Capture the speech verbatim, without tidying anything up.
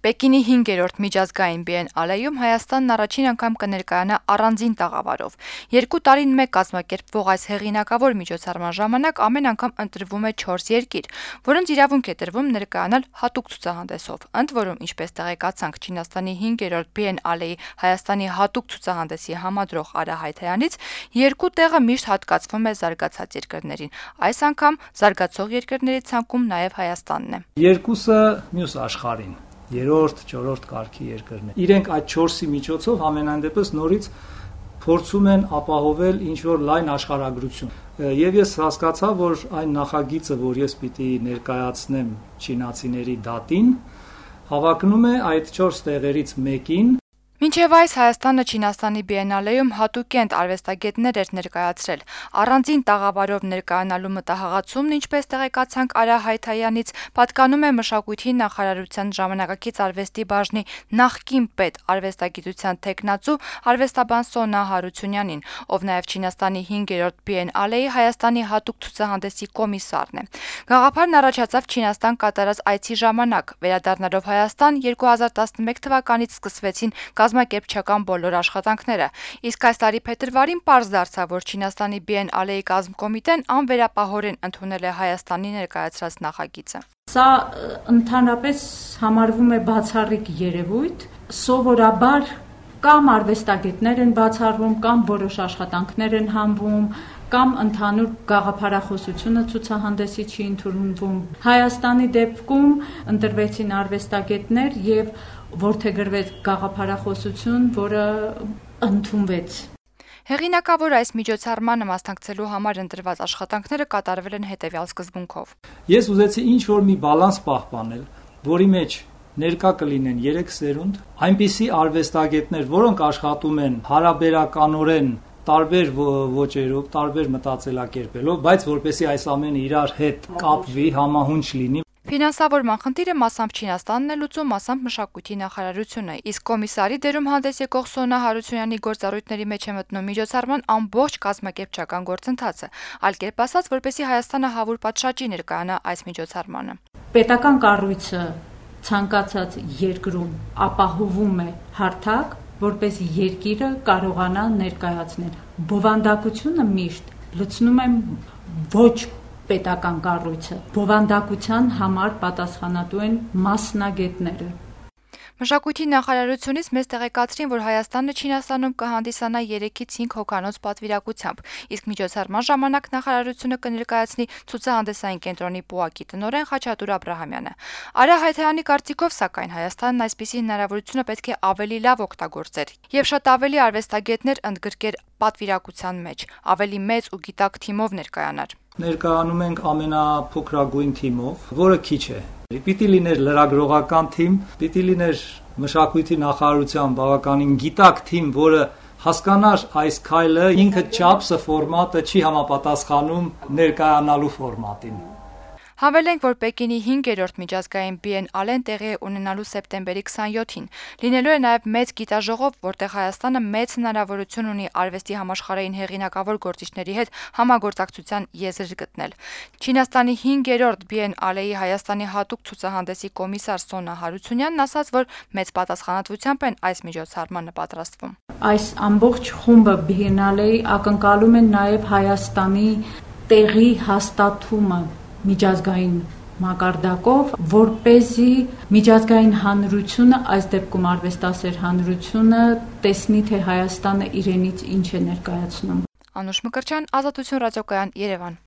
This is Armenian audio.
Պեկինի հինգերորդ միջազգային Բիենալեում Հայաստանն առաջին անգամ կներկայանա առանձին տաղավարով։ Երկու տարին մեկ կազմակերպվող այս հեղինակավոր միջոցառման ժամանակ ամեն անգամ ընտրվում է չորս երկիր, որոնց իրավունք է տրվում ներկայանալ հատուկ ցուցահանդեսով։ Ընդ որում, ինչպես տեղեկացանք Չինաստանի հինգերորդ Բիենալեի Հայաստանի հատուկ ցուցահանդեսի համադրող Արա Հայթայանից, երկու տեղը միշտ հատկացվում է զարգացած երկրներին։ Այս անգամ զարգացող երկրների ցանկում նաև Հայաստանն է։ Երկուսը մյուս աշխարհին երրորդ, չորրորդ կարգի երկրներ։ Իրենք այդ չորսի միջոցով ամենայն դեպս նորից փորձում են ապահովել ինչ-որ լայն աշխարհագրություն։ Եվ ես հասկացա, որ այն նախագիծը, որ ես պիտի ներկայացնեմ չինացիների դատին, հավակնում է այդ չորս տեղերից մեկին։ Մինչև այս Հայաստանը Չինաստանի Բիենալեում հատուկենտ արվեստագետներ էր ներկայացրել։ Առանձին տաղավարով ներկայանալու մտահղացումն, ինչպես տեղեկացանք Արա Հայթայանից, պատկանում է մշակույթի նախարարության ժամանակակից արվեստի բաժնի նախկին պետ արվեստագիտության թեկնածու արվեստաբան Սոնա Հարությունյանին, ով նաև Չինաստանի հինգերորդ Բիենալեի Հայաստանի հատուկ ցուցահանդեսի կոմիսարն է։ Գաղափարն առաջացավ Չինաստան կատարած այցի ժամանակ։ Վերադառնալով Հայաստան երկու հազար տասնմեկ թվականից սկսվեցին կազմակերպչական բոլոր աշխատանքները, իսկ այս տարի փետրվարին պարզ դարձավ, որ Չինաստանի Բիենալեի կազմկոմիտեն անվերապահորեն ընդունել է Հայաստանի ներկայացրած նախագիծը։ Սա ընդհանրապես համարվում է բացառիկ երևույթ, սովորաբար կամ արվեստագետներ են բացառվում, կամ որոշ աշխատանքներ են հանվում, կամ ընդհանուր գաղափարախոսությունը ցուցահանդեսի չի ընդունվում։ Հայաստանի դեպքում ընտրվեցին արվեստագետներ եւ որդեգրվեց գաղափարախոսություն, որը ընդունվեց։ Հեղինակավոր այս միջոցառմանը մասնակցելու համար ընտրված աշխատանքները կատարվել են հետևյալ սկզբունքով։ Ես ուզեցի ինչ-որ մի բալանս պահպանել, որի մեջ ներկա կլինեն երեք սերունդ, այնպիսի արվեստագետներ, որոնք աշխատում են հարաբերականորեն տարբեր ոճերով, տարբեր մտածելակերպելով, բայց որպեսզի այս ամենը իրար հետ կապվի, համահունչ լինի։ Ֆինանսավորման խնդիրը մասամբ Չինաստանն է լուծում, մասամբ մշակույթի նախարարությունը, իսկ կոմիսարի դերում հանդես եկող Սոնա Հարությունյանի գործառույթների մեջ է մտնում միջոցառման ամբողջ կազմակերպչական գործընթացը, այլ կերպ ասած, որպեսզի Հայաստանը հավուր պատշաճի ներկայանա այս միջոցառմանը։ Պետական կառույցը ցանկացած երկրում ապահովում է հարթակ, որպեսզի երկիրը կարողանա ներկայացնել։ Բովանդակությունը միշտ լցնում է ոչ պետական կառույցը, բովանդակության համար պատասխանատու են մասնագետները։ Մշակույթի նախարարությունից մեզ տեղեկացրին, որ Հայաստանը Չինաստանում կհանդիսանա երեքից հինգ հոգանոց պատվիրակությամբ, իսկ միջոցառման ժամանակ նախարարությունը կներկայացնի ցուցահանդեսային կենտրոնի պուակի տնօրեն Խաչատուր Աբրահամյանը։ Արա Հայթայանի կարծիքով, սակայն, Հայաստանն այսպիսի հնարավորությունը պետք է ավելի լավ օգտագործեր եւ շատ ավելի արվեստագետներ ընդգրկեր պատվիրակության մեջ, ավելի մեծ ու գիտակ թիմով ներկայանար։ Ներկայանում ենք ամենափոքրագույն թիմով, որը քիչ է։ Պիտի լիներ լրագրողական թիմ, պիտի լիներ մշակույթի նախարարության բավականին գիտակ թիմ, որը հասկանար այս քայլը ինքը չափսը, ֆորմատը չի համապատասխանում ներկայանալու ֆորմատին։ Հավելենք, որ Պեկինի հինգերորդ միջազգային Բիենալեն տեղի է ունենալու սեպտեմբերի քսանյոթին։ Լինելու է նաև մեծ գիտաժողով, որտեղ Հայաստանը մեծ հնարավորություն ունի արվեստի համաշխարհային հեղինակավոր գործիչների հետ համագործակցության եզր գտնել։ Չինաստանի հինգերորդ Բիենալեի Հայաստանի հատուկ ցուցահանդեսի կոմիսար Սոնա Հարությունյանն ասաց, որ մեծ պատասխանատվությամբ են այս միջոցառմանը պատրաստվում։ Այս ամբողջ խումբը Բիենալեի ակնկալում են նաև Հայաստանի տեղի հաստատումը միջազգային մակարդակով, որպեսզի միջազգային հանրությունը, այս դեպքում արվեստասեր հանրությունը, տեսնի, թե Հայաստանը իրենից ինչ է ներկայացնում։ Անուշ Մկրտչյան, Ազատություն ռադիոկայան, Երևան։